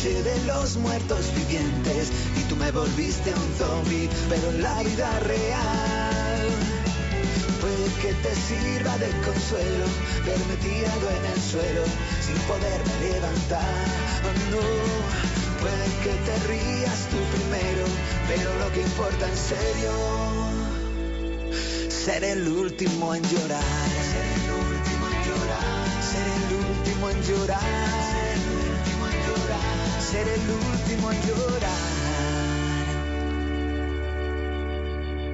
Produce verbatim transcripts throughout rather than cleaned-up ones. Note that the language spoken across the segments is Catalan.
noche de los muertos vivientes y tú me volviste un zombie, pero en la vida real. Puede que te sirva de consuelo verme tirado en el suelo sin poderme levantar. Oh no, puede que te rías tú primero, pero lo que importa en serio, ser el último en llorar. Ser el último en llorar. Ser el último en llorar. Ser el último en llorar.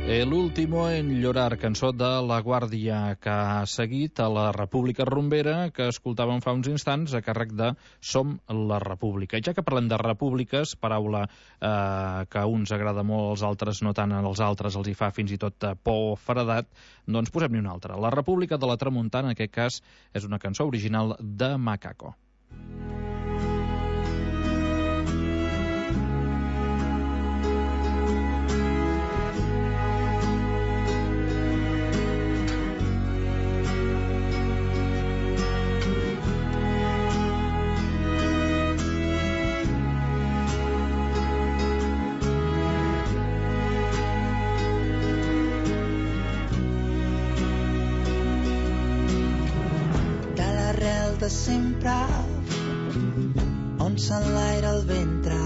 El último en llorar, cançó de La Guàrdia, que ha seguit a la República Rumbera, que escoltàvem fa uns instants a càrrec de Som la República. I ja que parlem de repúbliques, paraula eh, que a uns agrada molt, als altres no tant, als altres els hi fa fins i tot por o feredat, doncs posem-ne una altra. La República de la Tramuntana, en aquest cas, és una cançó original de Macaco. De sempre, on s'enlaira el ventre,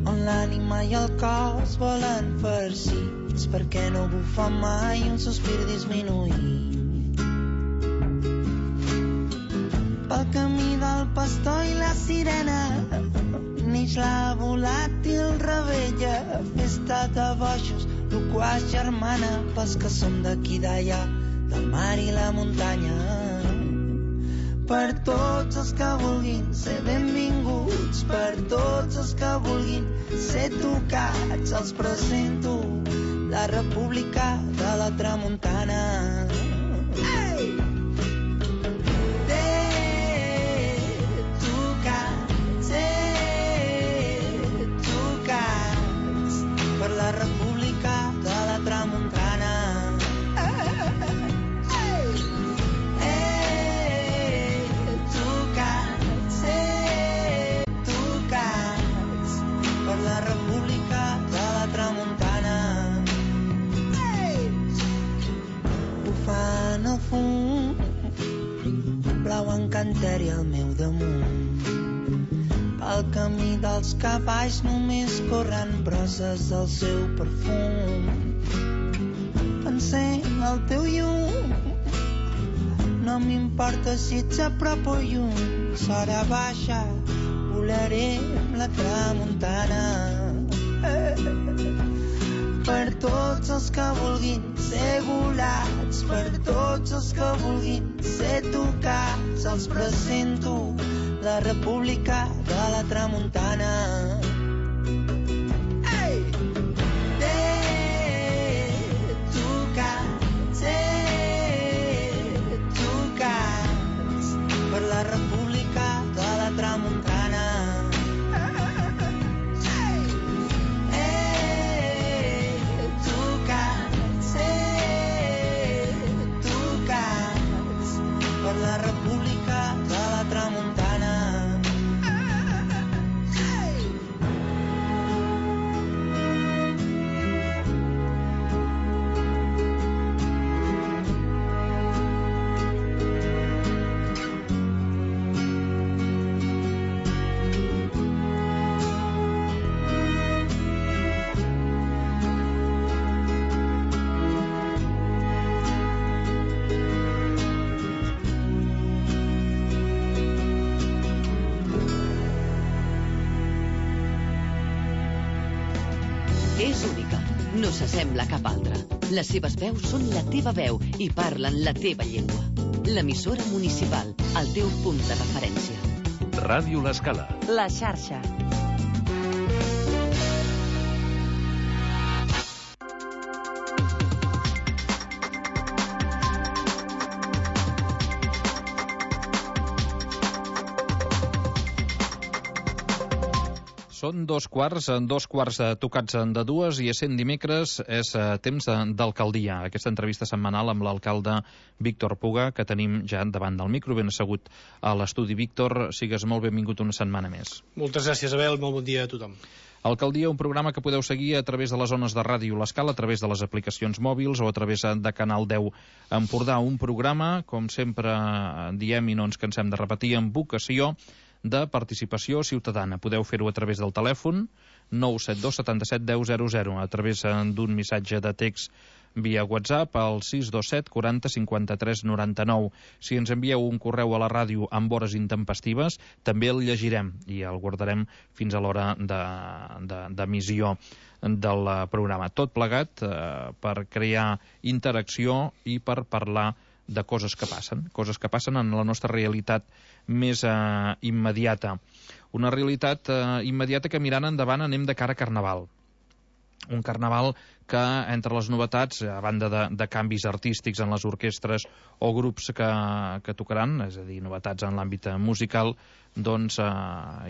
on l'ànima i el cos volen farcits, perquè no bufa mai un sospir disminuït. Pel camí del pastor i la sirena neix la volàtil rebella, festa de bojos, loquaç germana, pels que som d'aquí d'allà, del mar i la muntanya. Per tots els que vulguin ser benvinguts, per tots els que vulguin ser tocats, els presento la República de la Tramuntana. Hey! Tocats, eh, tocats, per la República de la Tramuntana. La República de la Tramuntana. Hey! Bufant el fum, blau encanteri al meu damunt. Pel camí dels cavalls només corren brosses del seu perfum. Encén el teu llum, no m'importa si ets a prop o lluny, s'hora baixa, volaré amb la tramuntana. Per tots els que vulguin ser volats, per tots els que vulguin ser tocats, els presento la República de la Tramuntana. Hey! Tocats, eh, tocats, per la República de la Tramuntana. La República de la Tramuntana. És única, no s'assembla a cap altra. Les seves veus són la teva veu i parlen la teva llengua. L'emissora municipal, el teu punt de referència. Ràdio L'Escala. La xarxa. Són dos quarts, dos quarts tocats de dues i essent dimecres és temps d'alcaldia. Aquesta entrevista setmanal amb l'alcalde Víctor Puga, que tenim ja davant del micro, ben assegut a l'estudi. Víctor, sigues molt benvingut una setmana més. Moltes gràcies, Abel. Molt bon dia a tothom. Alcaldia, un programa que podeu seguir a través de les zones de ràdio L'Escala, a través de les aplicacions mòbils o a través de Canal deu Empordà. Un programa, com sempre diem i no ens cansem de repetir, amb vocació de participació ciutadana. Podeu fer-ho a través del telèfon nou set dos set set deu zero zero, a través d'un missatge de text via WhatsApp al sis dos set quaranta cinquanta tres noranta nou. Si ens envieu un correu a la ràdio amb hores intempestives, també el llegirem i el guardarem fins a l'hora d'emissió de, del programa. Tot plegat eh, per crear interacció i per parlar de coses que passen, coses que passen en la nostra realitat més eh, immediata. Una realitat eh, immediata que mirant endavant anem de cara a Carnaval. Un Carnaval que, entre les novetats, a banda de, de canvis artístics en les orquestres o grups que, que tocaran, és a dir, novetats en l'àmbit musical, doncs eh,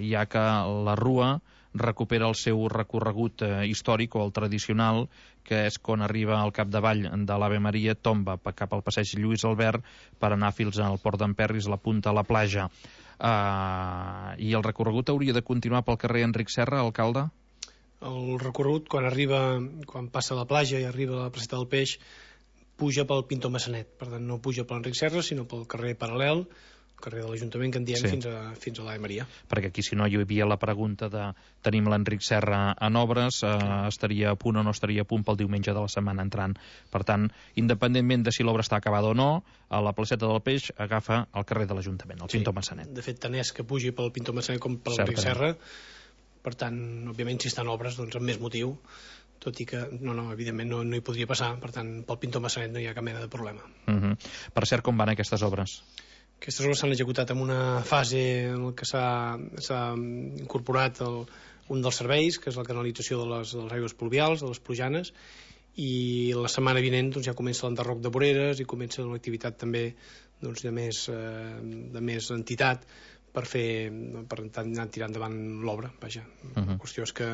hi ha que la Rua recupera el seu recorregut eh, històric o el tradicional, que és quan arriba al capdavall de l'Ave Maria, tomba cap al passeig Lluís Albert per anar fins al Port d'en Perris, la punta a la platja. Uh, I el recorregut hauria de continuar pel carrer Enric Serra, alcalde? El recorregut, quan arriba, quan passa a la platja i arriba a la placeta del Peix, puja pel Pintor Massanet. Per tant, no puja per l'Enric Serra, sinó pel carrer paral·lel, carrer de l'Ajuntament, que en diem, sí, fins a, fins a l'Ave Maria. Perquè aquí, si no, hi havia la pregunta de tenim l'Enric Serra en obres, eh, estaria a punt o no estaria a punt pel diumenge de la setmana entrant. Per tant, independentment de si l'obra està acabada o no, a la placeta del Peix agafa el carrer de l'Ajuntament, el sí, Pintor Massanet. De fet, tant és que pugi pel Pintor Massanet com per l'Enric Serra. Per tant, òbviament, si estan obres, doncs amb més motiu, tot i que, no, no, evidentment no, no hi podria passar, per tant, pel Pintor Massanet no hi ha cap mena de problema. Uh-huh. Per cert, com van aquestes obres? Aquestes obres s'han executat en una fase en què s'ha incorporat el, un dels serveis, que és la canalització de les, de les aigües pluvials, de les plujanes, i la setmana vinent doncs, ja comença l'enderroc de voreres i comença l'activitat també doncs, de, més, eh, de més entitat per fer, per anar tirant endavant l'obra, vaja. Uh-huh. La qüestió és que,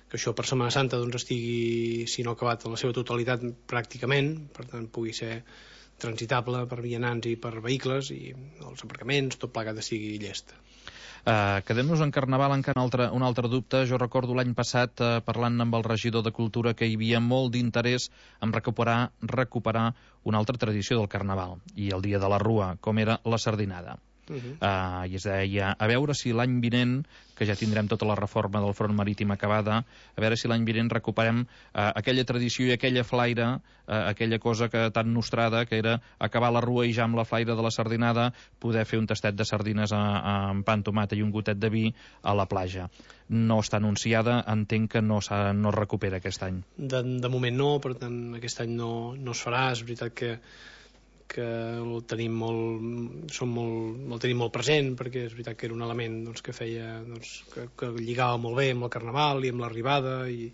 que això per Setmana Santa doncs, estigui, si no acabat en la seva totalitat, pràcticament, per tant pugui ser transitable per vianants i per vehicles i els aparcaments, tot plegat de sigui llest. Uh, Quedem-nos en Carnaval, encara un altre, un altre dubte. Jo recordo l'any passat, uh, parlant amb el regidor de Cultura, que hi havia molt d'interès en recuperar, recuperar una altra tradició del Carnaval, i el dia de la Rua, com era la sardinada. Uh-huh. uh, i es deia, a veure si l'any vinent, que ja tindrem tota la reforma del front marítim acabada, a veure si l'any vinent recuperem uh, aquella tradició i aquella flaire, uh, aquella cosa que tan nostrada, que era acabar la Rua i ja amb la flaire de la sardinada poder fer un tastet de sardines a, a, amb pa amb tomata i un gotet de vi a la platja. No està anunciada, entenc que no, no es recupera aquest any. De, de moment no, per tant aquest any no, no es farà. És veritat que que el tenim molt, som molt, el tenim molt present, perquè és veritat que era un element doncs, que feia, doncs, que, que lligava molt bé amb el Carnaval i amb l'arribada, i,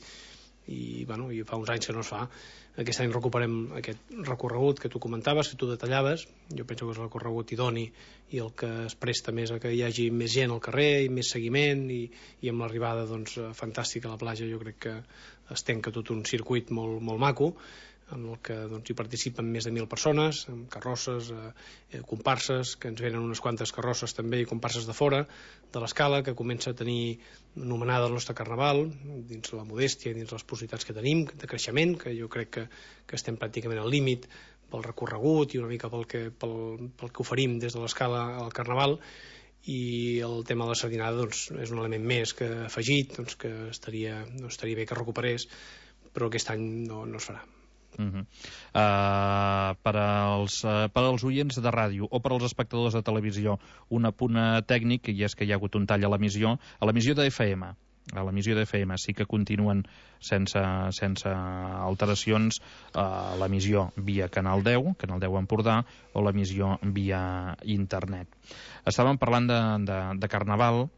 i, bueno, i fa uns anys que no es fa. Aquest any recuperem aquest recorregut que tu comentaves, que tu detallaves. Jo penso que és el recorregut idoni i el que es presta més a que hi hagi més gent al carrer i més seguiment, i, i amb l'arribada doncs, fantàstica a la platja. Jo crec que es tanca tot un circuit molt, molt maco, en el que doncs, hi participen més de mil persones, amb carrosses, eh, comparses, que ens venen unes quantes carrosses també i comparses de fora de l'Escala, que comença a tenir anomenada el nostre Carnaval, dins la modèstia i dins les possibilitats que tenim de creixement, que jo crec que, que estem pràcticament al límit pel recorregut i una mica pel que, pel, pel que oferim des de l'Escala al Carnaval. I el tema de la sardinada doncs, és un element més que afegit, doncs, que estaria, doncs, estaria bé que recuperés, però aquest any no, no es farà. Uh-huh. uh, per, als, uh, per als oients de ràdio o per als espectadors de televisió, un apunt tècnic, i és que hi ha hagut un tall a l'emissió, a l'emissió de F M. A l'emissió de F M sí que continuen sense, sense alteracions uh, l'emissió via Canal deu, Canal deu Empordà, o l'emissió via internet. Estàvem parlant de, de, de Carnaval,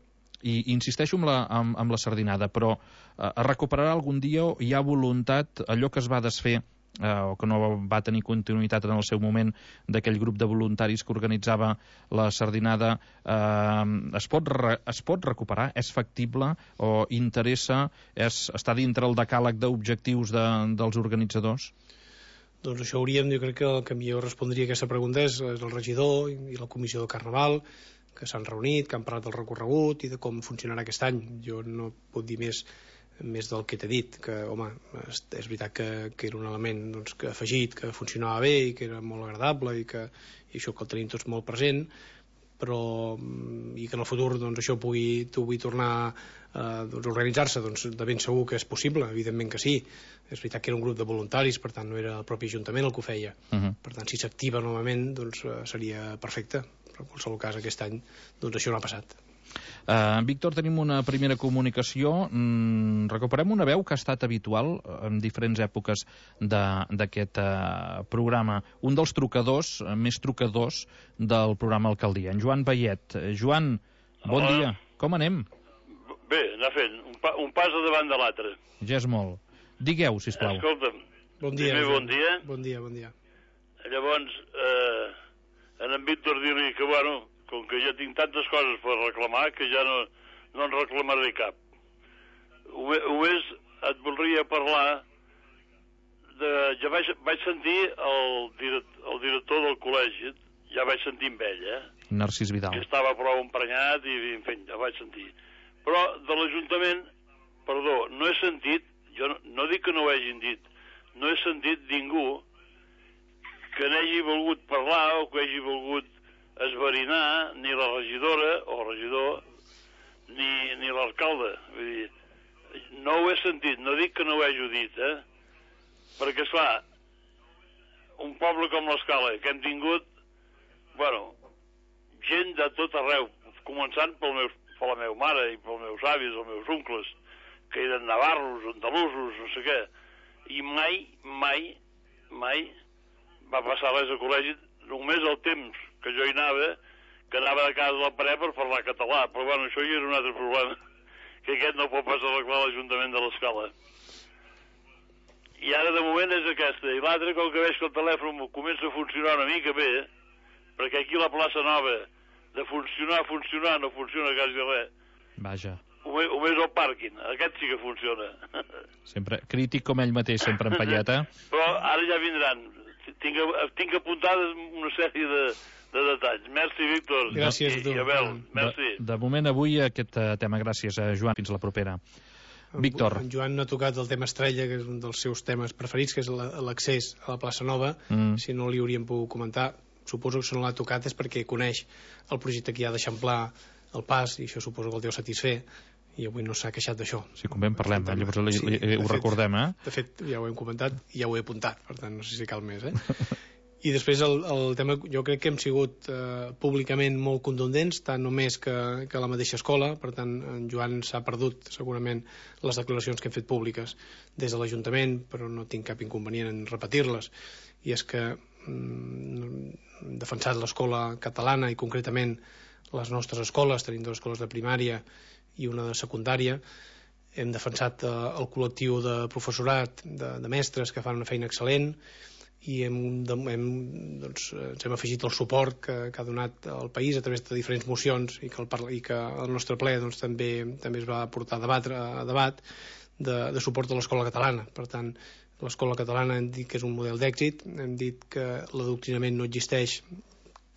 i insisteixo amb la, amb, amb la sardinada, però uh, es recuperarà algun dia, o hi ha voluntat, allò que es va desfer eh, o que no va tenir continuïtat en el seu moment d'aquell grup de voluntaris que organitzava la sardinada, eh, es, pot re, es pot recuperar? És factible o interessa? És, està dintre el decàleg d'objectius de, dels organitzadors? Doncs això hauríem, jo crec que el que millor respondria a aquesta pregunta és, és el regidor i la comissió de Carnaval, que s'han reunit, que han parlat del recorregut i de com funcionarà aquest any. Jo no puc dir més més del que t'he dit, que, home, és, és veritat que, que era un element doncs, que afegit, que funcionava bé i que era molt agradable i, que, i això que el tenim tots molt present, però i que en el futur doncs, això pugui, pugui tornar eh, doncs, a organitzar-se, doncs, de ben segur que és possible, evidentment que sí. És veritat que era un grup de voluntaris, per tant no era el propi Ajuntament el que ho feia. Uh-huh. Per tant, si s'activa novament doncs, seria perfecte, però en qualsevol cas aquest any doncs, això no ha passat. Uh, Víctor, tenim una primera comunicació. Mm, recuperem una veu que ha estat habitual en diferents èpoques d'aquest uh, programa. Un dels trucadors, uh, més trucadors del programa Alcaldia, en Joan Bayet. Uh, Joan, bon Hola. Dia. Com anem? Bé, anar fent. Un, pa, un pas a davant de l'altre. Ja és molt. Digueu, sisplau. Escolta'm, bon dia, primer bon dia. Bon dia, bon dia. Llavors, eh, en en Víctor dir-li que, bueno, com que ja tinc tantes coses per reclamar que ja no, no en reclamaré cap. Només et voldria parlar de... Ja vaig, vaig sentir el, direct, el director del col·legi, ja vaig sentir amb ell, eh? Narcís Vidal. Que estava prou emprenyat i, en fi, ja vaig sentir. Però de l'Ajuntament, perdó, no he sentit, jo no, no dic que no ho hagin dit, no he sentit ningú que n'hagi volgut parlar o que hagi volgut esverinar ni la regidora o regidor ni, ni l'alcalde. Vull dir, no ho he sentit, no dic que no ho hagi dit, eh? Perquè, esclar, un poble com l'Escala, que hem tingut, bueno, gent de tot arreu, començant pel meu, per la meva mare i pels meus avis, els meus oncles, que eren navarros, andalusos, no sé què, i mai, mai, mai va passar res al col·legi, només el temps que jo hi anava, que anava de casa del pare per parlar català, però bueno, això ja era un altre problema, que aquest no pot pas arreglar l'Ajuntament de l'Escala. I ara de moment és aquesta, i l'altre, com que veig que el telèfon comença a funcionar una mica bé, perquè aquí la plaça Nova, de funcionar, funcionar, no funciona quasi res. Vaja. Només el pàrquing, aquest sí que funciona. Sempre crític com ell mateix, sempre empallat, eh? Però ara ja vindran. Tinc, tinc apuntades una sèrie de, de detalls. Merci, Víctor. Gràcies a tu. I Abel, merci. De, de moment avui aquest tema. Gràcies, a Joan. Fins la propera. Víctor. En Joan no ha tocat el tema estrella, que és un dels seus temes preferits, que és l'accés a la plaça Nova. Mm. Si no li hauríem pogut comentar, suposo que si no l'ha tocat és perquè coneix el projecte que hi ha d'eixamplar el pas, i això suposo que el deu satisfer, i avui no s'ha queixat d'això. Si convé en parlem, eh? Llavors li, li, li, ho fet, recordem, eh? De fet, ja ho hem comentat i ja ho he apuntat, per tant no sé si cal més, eh? I després el, el tema, jo crec que hem sigut eh, públicament molt contundents, tant o més que, que la mateixa escola, per tant en Joan s'ha perdut segurament les declaracions que hem fet públiques des de l'Ajuntament, però no tinc cap inconvenient en repetir-les, i és que mm, hem defensat l'escola catalana i concretament les nostres escoles, tenim dues escoles de primària i una de secundària. Hem defensat eh, el col·lectiu de professorat, de, de mestres que fan una feina excel·lent, i hem, hem, doncs, ens hem afegit el suport que, que ha donat el país a través de diferents mocions, i que el, i que el nostre ple doncs, també, també es va portar a, debatre, a debat de, de suport a l'escola catalana. Per tant, l'escola catalana hem dit que és un model d'èxit, hem dit que l'adoctrinament no existeix,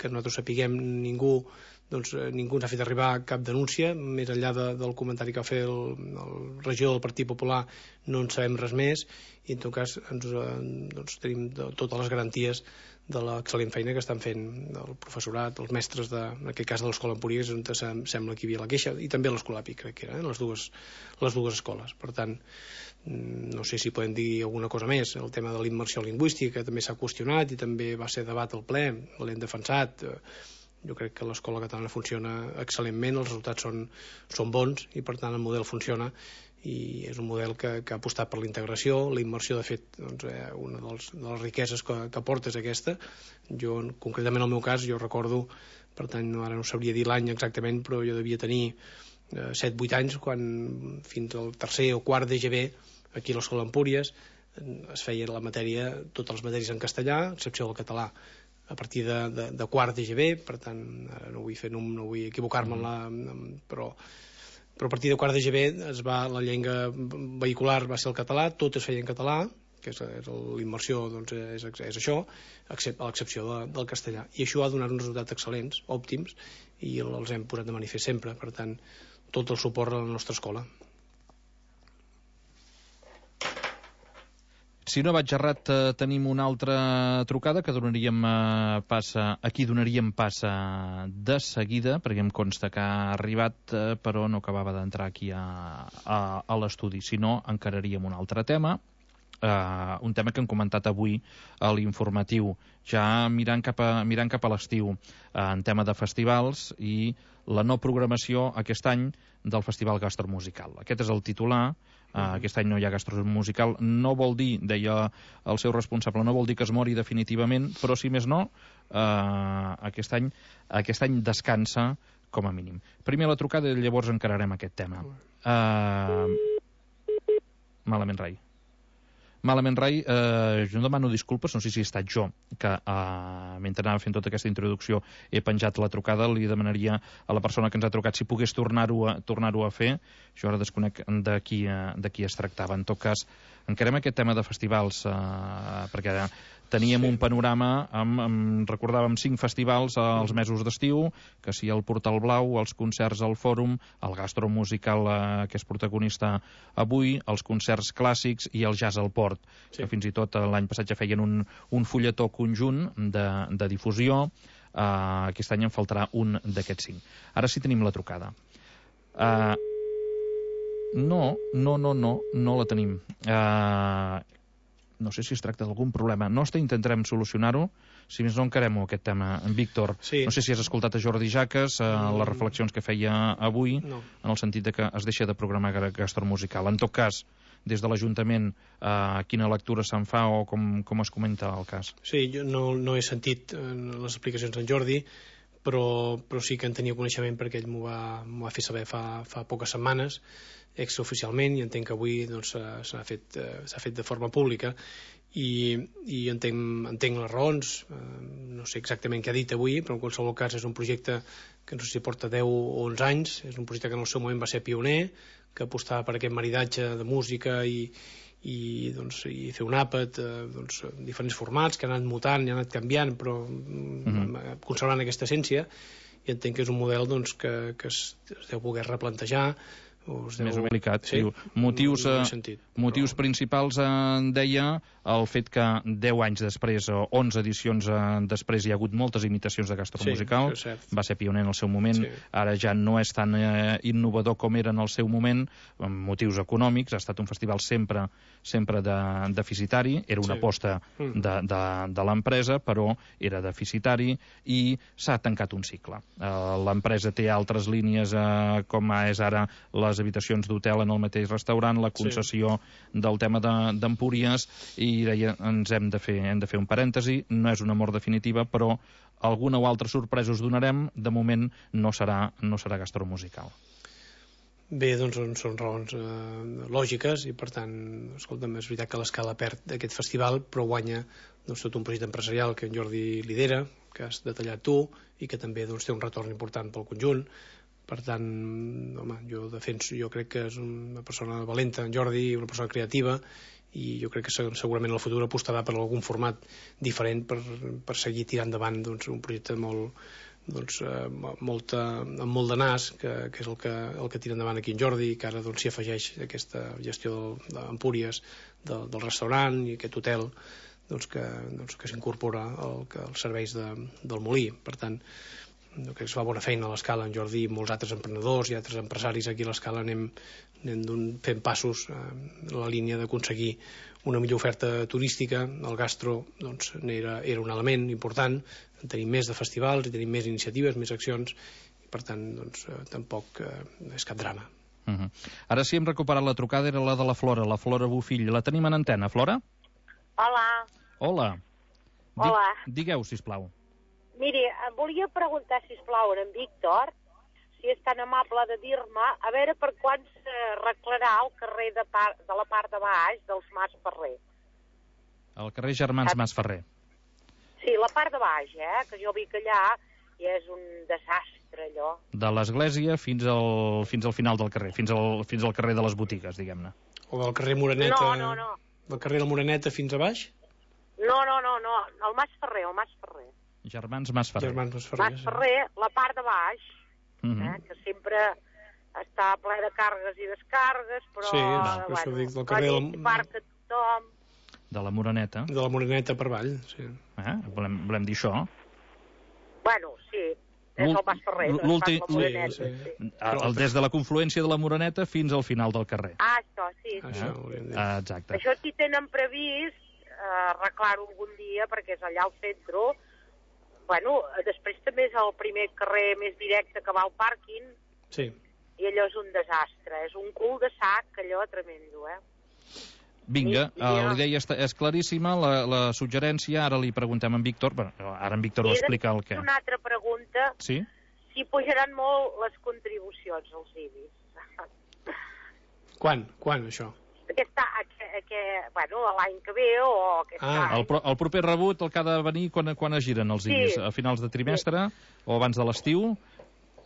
que nosaltres sapiguem ningú, doncs eh, ningú ens ha fet arribar cap denúncia, més enllà de, del comentari que va fer el, el regidor del Partit Popular, no en sabem res més, i en tot cas ens, eh, doncs, tenim de, totes les garanties de l'excel·lent feina que estan fent el professorat, els mestres, de, en aquest cas de l'Escola Empúries, on sem sembla que hi havia la queixa, i també l'Escolapi, crec que era, eh, les, dues, les dues escoles. Per tant, no sé si podem dir alguna cosa més. El tema de la immersió lingüística també s'ha qüestionat i també va ser debat al ple, l'hem defensat. Jo crec que l'escola catalana funciona excel·lentment, els resultats són, són bons, i per tant el model funciona, i és un model que, que ha apostat per la integració. La immersió, de fet, doncs, eh, una dels, de les riqueses que, que aporta és aquesta. Jo, concretament en el meu cas, jo recordo, per tant no, ara no sabria dir l'any exactament, però jo devia tenir eh, set vuit anys quan fins al tercer o quart de G B aquí a l'Escola Empúries es feia la matèria, totes les matèries en castellà, a excepció del català, a partir de, de, de quart de G B, per tant, ara no vull fer, no, no vull equivocar-me, en la, però, però a partir de quart de G B es va, la llengua vehicular va ser el català, tot es feia en català, que és, és l'immersió, doncs és, és això, a l'excepció de, del castellà. I això ha donat uns resultats excel·lents, òptims, i els hem posat de manifest sempre. Per tant, tot el suport a la nostra escola. Si no vaig errat, eh, tenim una altra trucada que donaríem eh, passa, aquí donaríem passa de seguida, perquè em consta que ha arribat, eh, però no acabava d'entrar aquí a, a, a l'estudi. Si no, encararíem un altre tema, eh, un tema que hem comentat avui a l'informatiu, ja mirant cap a, mirant cap a l'estiu, eh, en tema de festivals i la no programació aquest any del Festival Gastromusical. Aquest és el titular. Uh, aquest any no hi ha gastromusical. No vol dir, deia el seu responsable, no vol dir que es mori definitivament, però si més no, uh, aquest any aquest any descansa com a mínim. Primer la trucada i llavors encararem aquest tema. Uh, malament, Rai. Malament, Rai, eh, jo demano disculpes, no sé si he estat jo, que eh, mentre anava fent tota aquesta introducció he penjat la trucada, li demanaria a la persona que ens ha trucat si pogués tornar-ho a, tornar-ho a fer. Jo ara desconec de qui, eh, de qui es tractava. En tot cas, encarem aquest tema de festivals, eh, perquè teníem sí. un panorama, amb, amb, recordàvem cinc festivals als mesos d'estiu, que si el Portal Blau, els concerts al Fòrum, el gastromusical eh, que és protagonista avui, els concerts clàssics i el jazz al Port, sí. que fins i tot l'any passat ja feien un, un fulletó conjunt de, de difusió. Eh, aquest any en faltarà un d'aquests cinc. Ara sí tenim la trucada. Eh, no, no, no, no, no la tenim. Eh, no sé si es tracta d'algun problema nostre, intentarem solucionar-ho. Si més no, encarem-ho, aquest tema. Víctor, sí. no sé si has escoltat a Jordi Jaques, eh, les reflexions que feia avui, no. en el sentit de que es deixa de programar gastromusical. En tot cas, des de l'Ajuntament, eh, quina lectura se'n fa o com, com es comenta el cas? Sí, jo no, no he sentit les explicacions d'en Jordi, però, però sí que en tenia coneixement perquè ell m'ho va, m'ho va fer saber fa, fa poques setmanes, extraoficialment, i entenc que avui doncs, s'ha fet, s'ha fet de forma pública i, i entenc, entenc les raons, eh, no sé exactament què ha dit avui, però en qualsevol cas és un projecte que no sé si porta deu o onze anys, és un projecte que en el seu moment va ser pioner, que apostava per aquest maridatge de música i, i, doncs, i fer un àpat, eh, doncs, diferents formats que han anat mutant i han anat canviant, però mm-hmm. conservant aquesta essència, i entenc que és un model doncs, que, que es, es deu poder replantejar. Deu... Més o menys delicat. Sí? Motius, no, no sentit, motius però... principals, en deia, el fet que deu anys després, o onze edicions després, hi ha hagut moltes imitacions de gastromusical, sí, va ser pioner en el seu moment, sí. ara ja no és tan eh, innovador com era en el seu moment, amb motius econòmics, ha estat un festival sempre, sempre de, deficitari, era una sí. aposta de, de, de l'empresa, però era deficitari i s'ha tancat un cicle. Eh, l'empresa té altres línies, eh, com és ara les habitacions d'hotel en el mateix restaurant, la concessió sí. del tema d'Empúries, de, i deia, ens hem de, fer, hem de fer un parèntesi, no és una mort definitiva, però alguna o altra sorpresa us donarem, de moment no serà, no serà gastromusical. Bé, doncs són raons eh, lògiques i per tant, escolta'm, és veritat que l'Escala perd aquest festival, però guanya doncs, tot un projecte empresarial que en Jordi lidera, que has detallat tu i que també doncs, té un retorn important pel conjunt. Per tant, home, jo defenso, jo crec que és una persona valenta, en Jordi, una persona creativa, i jo crec que segurament en el futur apostarà per algun format diferent per, per seguir tirant endavant doncs, un projecte molt, doncs, eh, molta, amb molt de nas, que, que és el que, el que tira endavant aquí en Jordi, que ara doncs, s'hi afegeix aquesta gestió d'Empúries, del, del restaurant i aquest hotel doncs, que, doncs, que s'incorpora al, als serveis de, del Molí. Per tant, jo crec que es fa bona feina a l'Escala, en Jordi i molts altres emprenedors i altres empresaris aquí a l'Escala anem, anem fent passos eh, en la línia d'aconseguir una millor oferta turística. El gastro doncs, era, era un element important, tenim més de festivals i tenim més iniciatives, més accions, i per tant doncs, eh, tampoc eh, és cap drama. Uh-huh. Ara sí hem recuperat la trucada, era la de la Flora, la Flora Bofill. La tenim en antena, Flora? Hola. Hola. Hola. Di, digueu, sisplau. Miri, em volia preguntar, sisplau, en Víctor, si és tan amable de dir-me, a veure per quan s'arreglarà el carrer de, par de la part de baix dels Mas Ferrer. Al carrer Germans Masferrer. Sí, la part de baix, eh? Que jo vic allà i és un desastre, allò. De l'església fins al, fins al final del carrer, fins al, fins al carrer de les botigues, diguem-ne. O del carrer Moreneta... No, no, no. Del carrer de la Moreneta fins a baix? No, no, no, no. El Mas Ferrer, el Mas Ferrer. Germans Masferrer. Germans Masferrer, Mas Ferrer, la part de baix, Uh -huh. eh? Que sempre està ple de càrregues i descargues, però... Sí, eh, per això bueno, dic, del carrer la del- nit parca tothom... De la Moreneta. De la Moreneta per avall, sí. Eh? Volem, volem dir això. Bueno, sí, és el Mas Ferrer, no L'últim- és pas la Moreneta, sí, sí. sí. El, el, des de la confluència de la Moreneta fins al final del carrer. Ah, això, sí, sí. Això ho hauríem de dir. Ah, exacte. Això sí tenen previst eh, arreglar-ho algun dia, perquè és allà al centre. Bueno, eh, després també és el primer carrer més directe que va al pàrquing, Sí. i allò és un desastre, és un cul de sac, allò tremendo, eh? Vinga, I- i eh, jo- la idea està, és claríssima, la, la suggerència, ara li preguntem a en Víctor, bueno, ara en Víctor ho I explica el després què. una altra pregunta, Sí? si pujaran molt les contribucions als I B I S. Quan? Quan, això? Aquest, aquest, aquest, bueno, l'any que ve o aquest Ah, any. El, pro, el proper rebut, el que ha de venir quan, quan es giren els Sí. I B I S? A finals de trimestre o abans de l'estiu?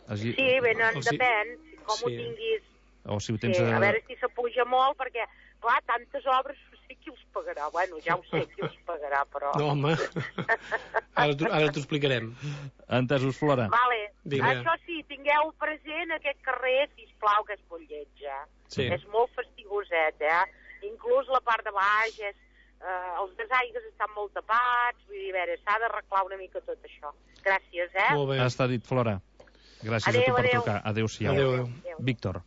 Es gi- Sí, venen, Els I- depèn, com ho Sí. tinguis. O si ho Sí, tens... a eh, veure si s'apuja molt, perquè, clar, tantes obres, no sé qui els pagarà. Bueno, ja ho sé qui els pagarà, però... No, home. Ara t'ho ara t'ho explicarem. Entesos, Flora. Vale, Vinga. això sí, tingueu present aquest carrer, sisplau, que és molt lleig, eh? Sí. És molt fastigoset, eh? Inclús la part de baix, és, eh, els desaigues estan molt tapats, vull dir, a veure, s'ha d'arreglar una mica tot això. Gràcies, eh? Molt bé. Està dit, Flora. Gràcies Adéu, a tu per adéu. trucar. Adéu-siau. Adéu, adéu. Víctor.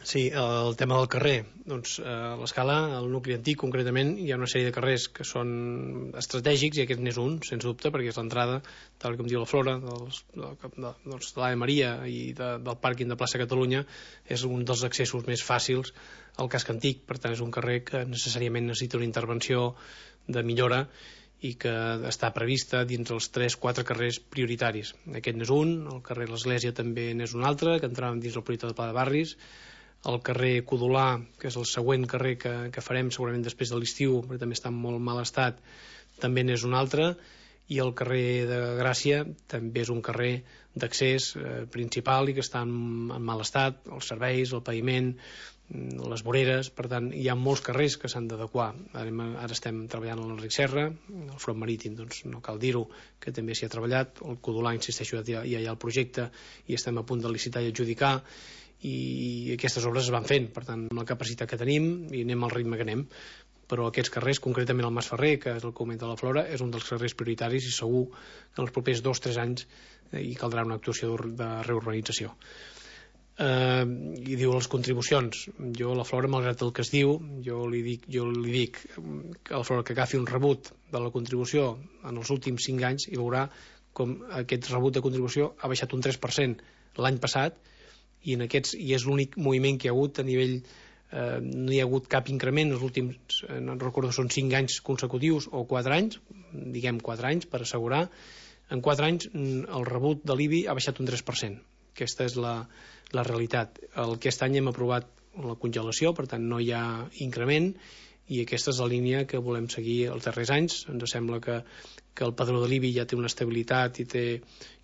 Sí, el tema del carrer. Doncs a l'escala, al nucli antic concretament, hi ha una sèrie de carrers que són estratègics i aquest n'és un, sens dubte, perquè és l'entrada, tal com diu la Flora, dels, de, de, doncs, de l'Ave Maria i de, del pàrquing de plaça Catalunya, és un dels accessos més fàcils al casc antic, per tant és un carrer que necessàriament necessita una intervenció de millora i que està prevista dins els tres quatre carrers prioritaris. Aquest n'és un, el carrer l'Església també n'és un altre, que entràvem dins el projecte de Pla de Barris, el carrer Codolà, que és el següent carrer que, que farem segurament després de l'estiu, perquè també està en molt mal estat, també n'és un altre, i el carrer de Gràcia també és un carrer d'accés eh, principal i que està en, en mal estat, els serveis, el paviment, les voreres, per tant hi ha molts carrers que s'han d'adequar. Ara, ara estem treballant a l'Enric Serra, el front marítim, doncs no cal dir-ho, que també s'hi ha treballat, el Codolà, insisteixo, ja, ja hi ha el projecte i estem a punt de licitar i adjudicar, i aquestes obres es van fent, per tant, amb la capacitat que tenim i anem al ritme que anem, però aquests carrers, concretament el Mas Ferrer, que és el que comenta la Flora, és un dels carrers prioritaris i segur que en els propers dos o tres anys eh, hi caldrà una actuació de reurbanització. Eh, i diu les contribucions, jo la Flora, malgrat el que es diu, jo li dic, jo li dic que la Flora que agafi un rebut de la contribució en els últims cinc anys i veurà com aquest rebut de contribució ha baixat un tres per cent l'any passat i, en aquests, i és l'únic moviment que hi ha hagut a nivell, eh, no hi ha hagut cap increment els últims, eh, no recordo, són cinc anys consecutius o quatre anys, diguem quatre anys per assegurar, en quatre anys el rebut de l'I B I ha baixat un tres per cent. Aquesta és la, la realitat. Aquest any hem aprovat la congelació, per tant no hi ha increment, i aquesta és la línia que volem seguir els darrers anys. Ens sembla que, que el padró de l'I B I ja té una estabilitat i, té,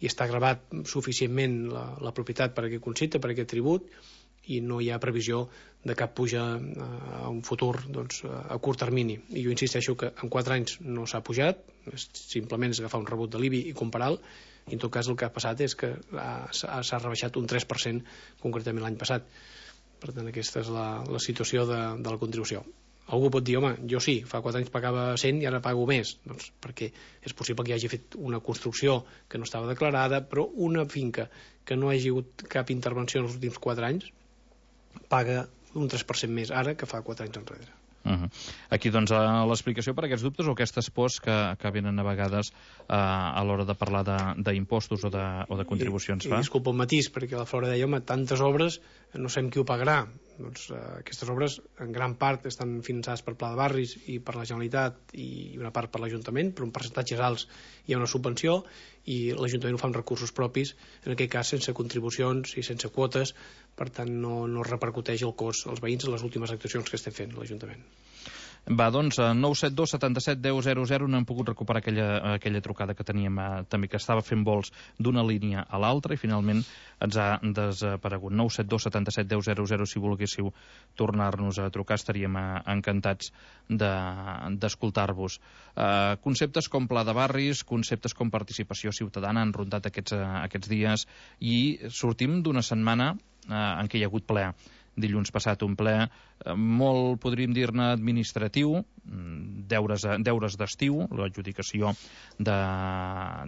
i està gravat suficientment la, la propietat per a aquest concepte, per a aquest tribut, i no hi ha previsió de cap puja a un futur, doncs, a curt termini. I jo insisteixo que en quatre anys no s'ha pujat, simplement és agafar un rebut de l'I B I i comparar-lo, i en tot cas el que ha passat és que s'ha rebaixat un tres per cent concretament l'any passat. Per tant, aquesta és la, la situació de, de la contribució. Algú pot dir, home, jo sí, fa quatre anys pagava cent i ara pago més, doncs perquè és possible que hi hagi fet una construcció que no estava declarada, però una finca que no hagi hagut cap intervenció en els últims quatre anys paga un tres per cent més ara que fa quatre anys enrere. Uh -huh. Aquí, doncs, l'explicació per a aquests dubtes o aquestes pors que, que venen a vegades uh, a l'hora de parlar d'impostos o, de, o de contribucions. I, i disculpa un matís, perquè la Flora deia, home, tantes obres, no sabem qui ho pagarà. Doncs uh, aquestes obres, en gran part, estan finançades per Pla de Barris i per la Generalitat i una part per l'Ajuntament, però en percentatges alts hi ha una subvenció i l'Ajuntament ho fa amb recursos propis, en aquest cas sense contribucions i sense quotes, per tant no, no repercuteix el cost als veïns en les últimes actuacions que estem fent l'Ajuntament. Va, doncs, nou set dos setanta-set deu zero zero, no hem pogut recuperar aquella, aquella trucada que teníem eh, també, que estava fent vols d'una línia a l'altra i finalment ens ha desaparegut. nou set dos setanta-set deu zero zero, si volguéssiu tornar-nos a trucar, estaríem eh, encantats d'escoltar-vos. De, eh, conceptes com pla de barris, conceptes com participació ciutadana han rondat aquests, eh, aquests dies i sortim d'una setmana eh, en què hi ha hagut ple. Dilluns passat un ple eh, molt, podríem dir-ne, administratiu, deures, deures d'estiu, l'adjudicació de,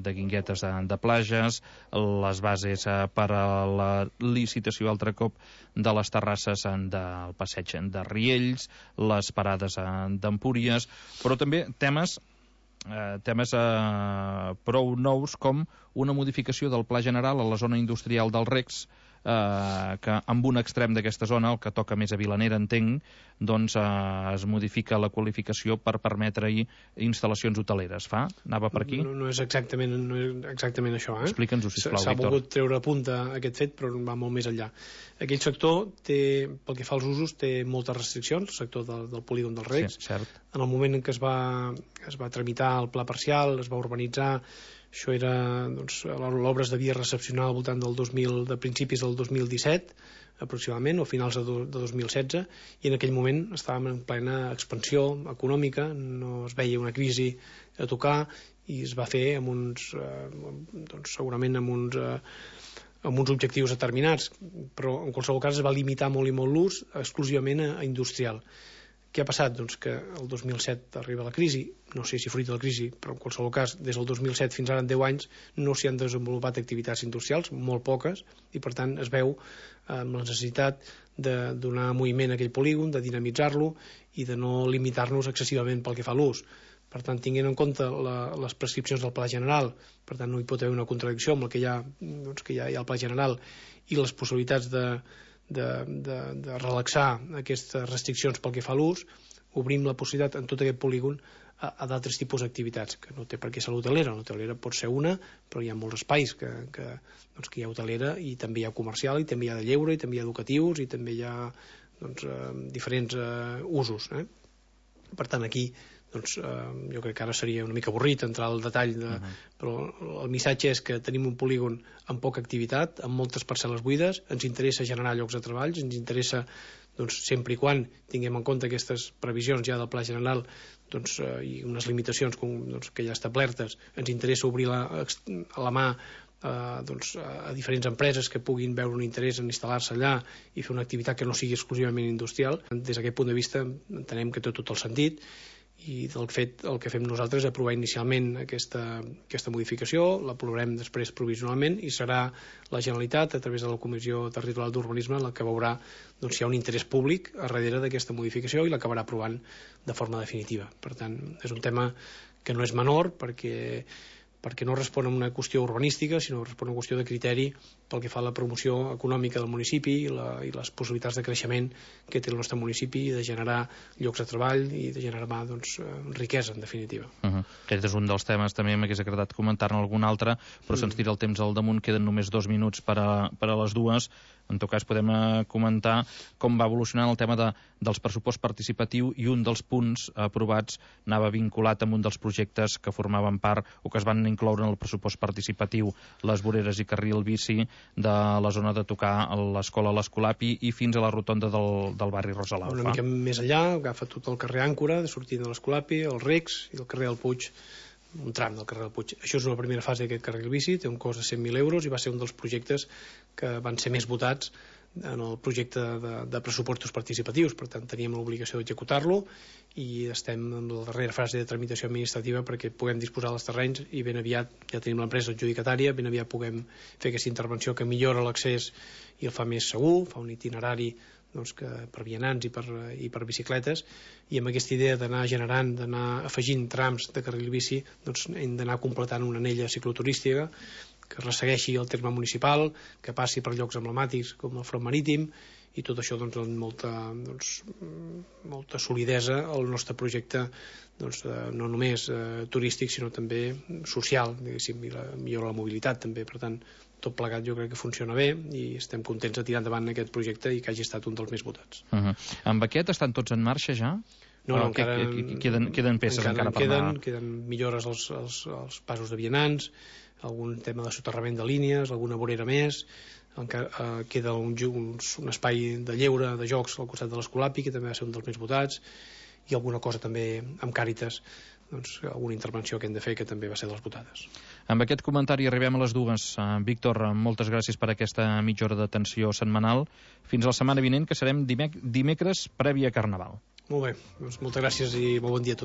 de guinguetes de, de plages, les bases eh, per a la licitació altre cop de les terrasses del passeig de Riells, les parades d'Empúries, però també temes Eh, temes eh, prou nous com una modificació del Pla General a la zona industrial del Recs, eh, que amb un extrem d'aquesta zona, el que toca més a Vilanera, entenc, doncs eh, es modifica la qualificació per permetre-hi instal·lacions hoteleres. Fa? Anava per aquí? No, no és exactament, no és exactament això. Eh? Explica'ns-ho, sisplau, S'ha Víctor. volgut treure a punta aquest fet, però va molt més enllà. Aquell sector, té, pel que fa als usos, té moltes restriccions, el sector del, del polígon dels Recs. Sí, cert. En el moment en què es va, es va tramitar el pla parcial, es va urbanitzar, això era, doncs, l'obra es devia recepcionar al voltant del dos mil, de principis del dos mil disset, aproximadament, o finals de, do, de dos mil setze, i en aquell moment estàvem en plena expansió econòmica, no es veia una crisi a tocar, i es va fer amb uns, eh, doncs, segurament amb uns, eh, amb uns objectius determinats, però en qualsevol cas es va limitar molt i molt l'ús exclusivament a, a industrial. Què ha passat? Doncs que el dos mil set arriba la crisi, no sé si fruit de la crisi, però en qualsevol cas, des del dos mil set fins ara en deu anys, no s'hi han desenvolupat activitats industrials, molt poques, i per tant es veu amb la necessitat de donar moviment a aquell polígon, de dinamitzar-lo i de no limitar-nos excessivament pel que fa a l'ús. Per tant, tinguent en compte la, les prescripcions del Pla General, per tant no hi pot haver una contradicció amb el que hi ha, doncs, que hi ha, hi ha el Pla General, i les possibilitats de De, de, de relaxar aquestes restriccions pel que fa a l'ús, obrim la possibilitat en tot aquest polígon a, a d'altres tipus d'activitats, que no té per què ser l'hotelera. L'hotelera pot ser una, però hi ha molts espais que, que, doncs, que hi ha hotelera i també hi ha comercial, i també hi ha de lleure, i també hi ha educatius, i també hi ha doncs, eh, diferents eh, usos. Eh? Per tant, aquí doncs, eh, jo crec que ara seria una mica avorrit entrar al detall, de, uh -huh. però el missatge és que tenim un polígon amb poca activitat, amb moltes parcel·les buides, ens interessa generar llocs de treball, ens interessa, doncs, sempre i quan tinguem en compte aquestes previsions ja del Pla General, doncs, eh, i unes limitacions com, doncs, que ja establertes, ens interessa obrir la, a la mà eh, doncs, a diferents empreses que puguin veure un interès en instal·lar-se allà i fer una activitat que no sigui exclusivament industrial. Des d'aquest punt de vista entenem que té tot el sentit, i del fet, el que fem nosaltres és aprovar inicialment aquesta, aquesta modificació, l'aprovarem després provisionalment i serà la Generalitat, a través de la Comissió Territorial d'Urbanisme, la que veurà doncs, si hi ha un interès públic a darrere d'aquesta modificació i l'acabarà aprovant de forma definitiva. Per tant, és un tema que no és menor, perquè perquè no respon a una qüestió urbanística, sinó respon a una qüestió de criteri pel que fa a la promoció econòmica del municipi i, la, i les possibilitats de creixement que té el nostre municipi, de generar llocs de treball i de generar doncs, riquesa, en definitiva. Uh -huh. Aquest és un dels temes, també m'hagués agradat comentar-ne algun altre, però mm. se'ns tira el temps al damunt, queden només dos minuts per a, per a les dues. En tot cas, podem uh, comentar com va evolucionant el tema de, dels pressupost participatiu, i un dels punts aprovats anava vinculat amb un dels projectes que formaven part o que es van incloure en el pressupost participatiu, les voreres i carril bici de la zona de tocar a l'escola l'Escolapi i fins a la rotonda del, del barri Rosalaufa. Una mica més allà, agafa tot el carrer Àncora, de sortint de l'Escolapi, el Recs i el carrer del Puig, un tram del carrer del Puig. Això és una primera fase d'aquest carril bici, té un cost de cent mil euros i va ser un dels projectes que van ser més votats en el projecte de, de pressupostos participatius. Per tant, teníem l'obligació d'executar-lo i estem en la darrera fase de tramitació administrativa perquè puguem disposar dels terrenys i ben aviat ja tenim l'empresa adjudicatària, ben aviat puguem fer aquesta intervenció que millora l'accés i el fa més segur, fa un itinerari doncs, que per vianants i per, i per bicicletes, i amb aquesta idea d'anar generant, d'anar afegint trams de carril bici, doncs hem d'anar completant una anella cicloturística que ressegueixi el terme municipal, que passi per llocs emblemàtics com el Front Marítim, i tot això doncs, amb molta, doncs, molta solidesa al nostre projecte, doncs, eh, no només eh, turístic, sinó també social, diguéssim, i la, millora la mobilitat també. Per tant, tot plegat jo crec que funciona bé i estem contents de tirar endavant aquest projecte i que hagi estat un dels més votats. Uh -huh. Amb aquest estan tots en marxa ja? No, no, encara... Queden, queden peces encara, encara per queden, anar... Queden millores als, als, als passos de vianants, algun tema de soterrament de línies, alguna vorera més, encara, eh, queda un, un, un espai de lleure, de jocs al costat de l'Escolapi, que també va ser un dels més votats, i alguna cosa també amb Càritas, doncs, alguna intervenció que hem de fer que també va ser de les votades. Amb aquest comentari arribem a les dues. Uh, Víctor, moltes gràcies per aquesta mitja hora d'atenció setmanal. Fins la setmana vinent, que serem dimec dimecres prèvia a Carnaval. Molt bé, doncs moltes gràcies i molt bon dia a tots.